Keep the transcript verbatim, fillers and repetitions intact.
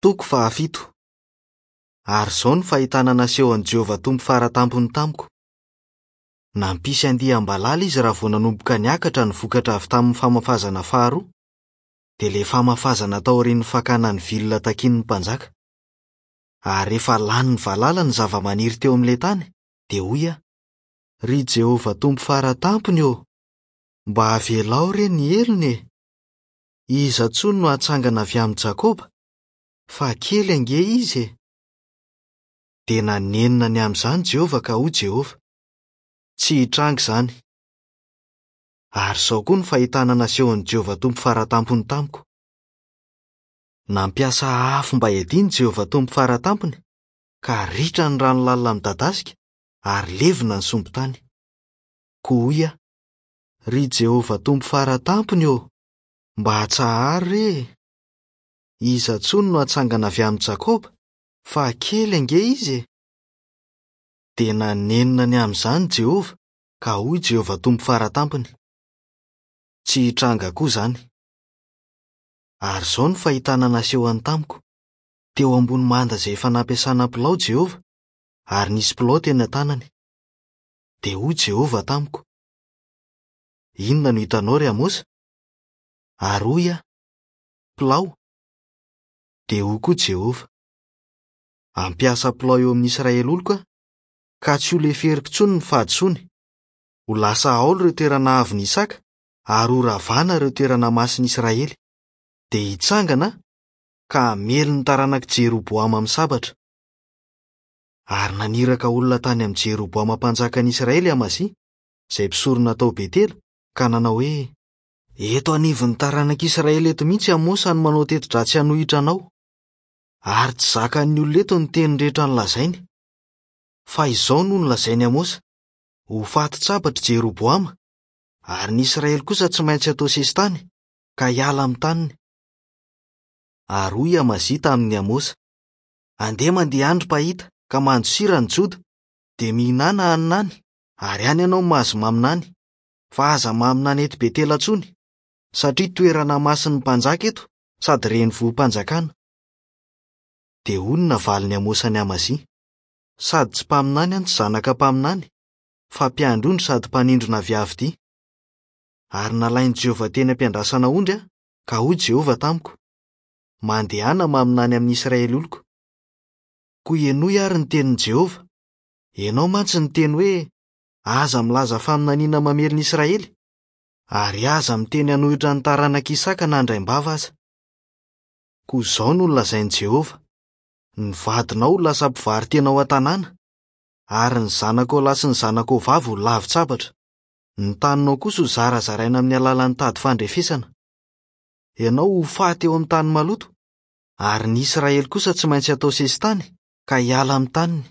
Toko fahafito. Ary izao no fahitana nasehon'i Jehovah Tompo faratampony tamiko. Nampisy andiam-balala izy raha vao nanomboka niakatra ny vokatra avy tamin'ny famafazana faharoa, dia ilay famafazana taorian'ny fakana ny vilona takian'ny mpanjaka. Ary rehefa lanin'ny valala ny zava-maniry teo amin'ilay tany, dia hoy aho: "Ry Jehovah Tompo faratampony ô, mba avelao re ny helony e! Iza intsony no hatsangana avy amin'i Jakoba? Fa kely ange izy e!" Dia nanenina ny amin'izany Jehovah ka hoy Jehovah: "Tsy hitranga izany." Ary izao koa no fahitana nasehon'i Jehovah Tompo faratampony tamiko. Nampiasa afo mba hiadiana Jehovah Tompo faratampony, ka ritra ny rano lalina midadasika ary levona ny sombin-tany. Koa hoy aho: "Ry Jehovah Tompo faratampony ô, mba atsaharo re e! Iza intsony no hatsangana avy amin'i Jakoba? Fa kely ange izy e!" Dia nanenina ny amin'izany Jehovah, ka hoy Jehovah Tompo faratampony: "Tsy hitranga koa izany." Ary izao no fahitana nasehony tamiko: teo ambony manda izay efa nampiasana pilao Jehovah, ary nisy pilao teny an-tanany. Dia hoy Jehovah tamiko: "Inona no hitanao, ry Amosa?" Ary hoy aho: "Pilao." Dia hoy koa Jehovah: "Hampiasa pilao eo amin'ny Israely oloko aho, ka tsy ho leferiko intsony ny fahadisoany. Ho lasa haolo ireo toerana avon'i Isaka, ary ho ravana ireo toerana masin'i Israely. Dia hitsangana aho, ka hamely ny taranak'i Jeroboama amin'ny sabatra." Ary naniraka olona tany amin'i Jeroboama mpanjakan'i Israely Amazia, izay mpisorona tao Betela, ka nanao hoe: "Eto anivon'ny taranak'Israely eto mihitsy Amosa no manao teti-dratsy hanohitra anao, ary tsy zakan'ny olona eto ny teny rehetra nolazainy. Fa izao no nolazain'i Amosa: ho faty-tsabatra Jeroboama, ary ny Israely kosa tsy maintsy atao sesitany, ka hiala amin'ny taniny." Ary hoy Amazia tamin'i Amosa: "Andeha mandeha andry mpahita, ka mandosira ny Joda, dia mihinana hanina any, ary any ianao mahazo maminany, fa aza maminany eto Betela intsony, satria toerana masin'ny mpanjaka eto sady renivohi-panjakana." Dia hoy ny navalin'i Amosa an'i Amazia: "Sady tsy mpaminany aho no tsy zanaka mpaminany, fa mpiandry ondry sady mpanindrona aviavy. Ary nalain'i Jehovah teny am-piandrasana ondry aho, ka hoy Jehovah tamiko: Mandehana maminany amin'ny Israely oloko. Koa henoy ary ny tenin'i Jehovah. Ianao mantsy niteny hoe: Aza milaza faminaniana mamely ny Israely, ary aza miteny hanohitra ny taranak'i Isaka na andraim-bava aza. Koa izao no nolazain'i Jehovah: Ny vadinao ho lasa mpivaro-tena ao an-tanàna, ary ny zanakao lahy sy ny zanakao vavy ho lavin-tsabatra. Ny taninao kosa ho zarazaraina amin'ny alalan'ny tady fandrefesana. Ianao ho faty eo amin'ny tany maloto, ary ny Israely kosa tsy maintsy atao sesitany, ka hiala amin'ny taniny.